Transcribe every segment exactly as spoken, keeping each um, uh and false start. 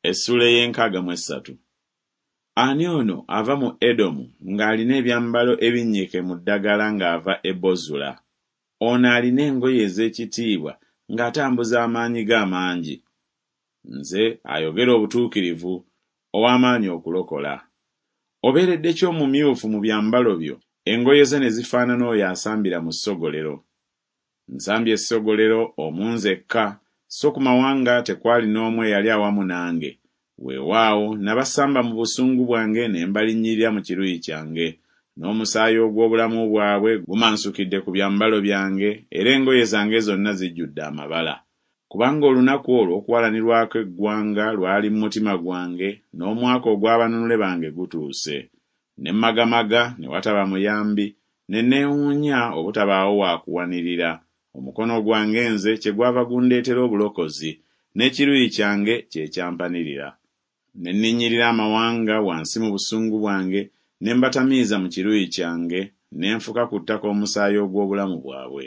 Essuula ey'enkaaga mu essatu. Ani ono ava mu Edomu ng'alina ebyambalo ebinnyike mu ddagala ng'ava e Bozula? Ono alina engoye ez'ekitiibwa ng'atambuza amaanyi ge amangi. Nze ayogera obutuukirivu, ow'amaanyi okulokola. Obeeredde ki omumyufu mu byambalo byo, engoye zo ne zifaanana oyo asambira mu ssogolero? Nsambye essogolero omu nzekka, so ku mawanga tekwali n'omu eyali awamu nange. Weewaawo nabasamba mu busungu bwange ne mbalinnyirira mu kiruyi kyange. N'omusaayi ogw'obulamu bwabwe gumansukidde ku byambalo byange, era engoye zange zonna zijjudde amabala. Kubanga olunaku olwo okuwalanirwako eggwanga lwali mu mutima gwange, n'omwaka ogw'abanunule bange gutuuse. Ne mmagamaga ne wataba muyambi, ne neewuunya obutabaawo wa kuwanirira. Omukono gwange nze kyegwava gundeetera obulokozi, n'ekiruyi kyange kye kyampanirira. Ne nninnyirira amawanga wansi mu busungu bwange, ne mbatamiiza mu kiruyi kyange, ne nfuka ku ttaka omusaayi ogw'obulamu bwabwe.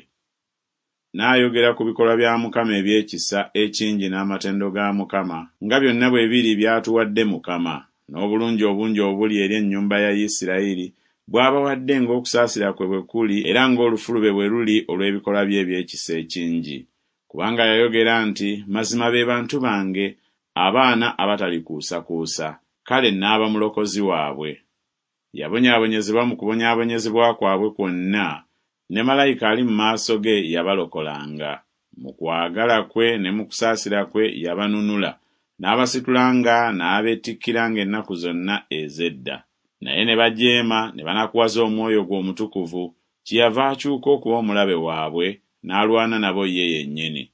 N'ayogera ku bikolwa bya Mukama eby'ekisa ekingi n'amatendo ga Mukama, nga byonna bwe biri by'atuwadde Mukama, n'obulungi obungi obuli eri ennyumba ya Isirayiri, bw'abawadde ng'okusaasira kwe bwe kuli era ng'olufulube bwe luli olw'ebikolwa bye eby'ekisa ekingi. Kubanga yayogera nti, Mazima be bantu bange, abaana abatalikuusakuusa, kale n'aba mulokozi waabwe. Yabonyaabonyezebwa mu kubonyaabonyezebwa kwabwe kwonna, ne malayika ali mu maaso ge yabalokolanga. Mu kwagala kwe ne mu kusaasira kwe yabanunula, n'abasitulanga n'abeetikkiranga ennaku zonna ez'edda. Naye ne bajeema ne banakuwaza omwoyo gwe omutukuvu, kyeyava akyuka okuba omulabe waabwe, n'alwana nabo ye yennyini.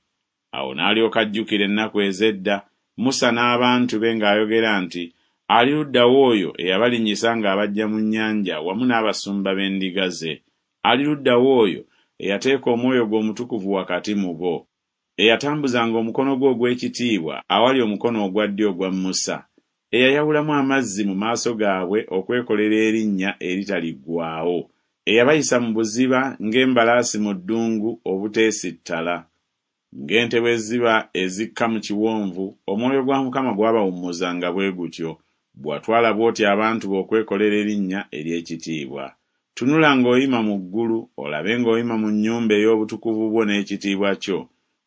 Awo n'alyoka ajjukira ennaku ez'edda, Musa n'abantu be ng'ayogera nti, Ali ludda wa oyo eyabalinnyisa ng'abaggya mu nnyanja wamu n'abasumba b'endiga ze? Ali ludda wa oyo eyateeka omwoyo gwe omutukuvu wakati mu bo, eyatambuzanga omukono gwe ogw'ekitiibwa awali omukono ogwa ddyo ogwa Musa, eyayawulamu amazzi mu maaso gaabwe okwekolera erinnya eritaliggwaawo, eyabayisa mu buziba ng'embalaasi mu ddungu obuteesittala? Ng'ente bwe ziba ezikka mu kiwonvu, omwoyo gwa Mukama gwabawummuzanga bwe gutyo, bw'atwala bw'otyo abantu bo okwekolera erinnya ery'ekitiibwa. Tunula ng'oyima mu ggulu, olabe ng'oyima mu nnyumba ey'obutukuvu bwo n'ekitiibwa kyo.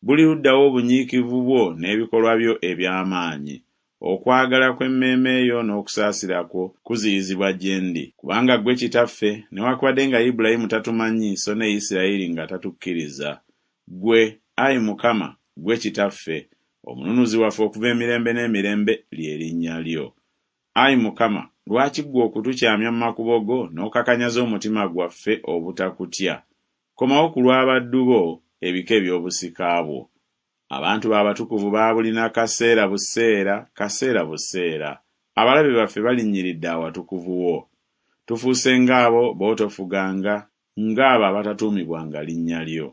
Buli ludda wa obunyiikivu bwo n'ebikolwa byo eby'amaanyi? Okwagala kw'emmeeme yo n'okusaasira kwo kuziyizibwa gye ndi. Kubanga ggwe Kitaffe, newakubadde nga Ibulayimu tatumanyi so ne Isirayiri nga tatukkiriza. Ggwe, ayi Mukama, ggwe Kitaffe, Omununuzi waffe okuva emirembe n'emirembe lye linnya lyo. Ayi Mukama, lwaki ggwe okutukyamya mu makubo go n'okakanyaza omutima gwaffe obutakutya? Komawo ku lw'abaddu bo, ebika eby'obusika bwo. Abantu bo abatukuvu baabulina kaseera buseera, kaseera buseera. Abalabe baffe balinnyiridde awatukuvu wo. Tufuuse ng'abo b'otofuganga, ng'abo abatatuumibwanga linnya lyo.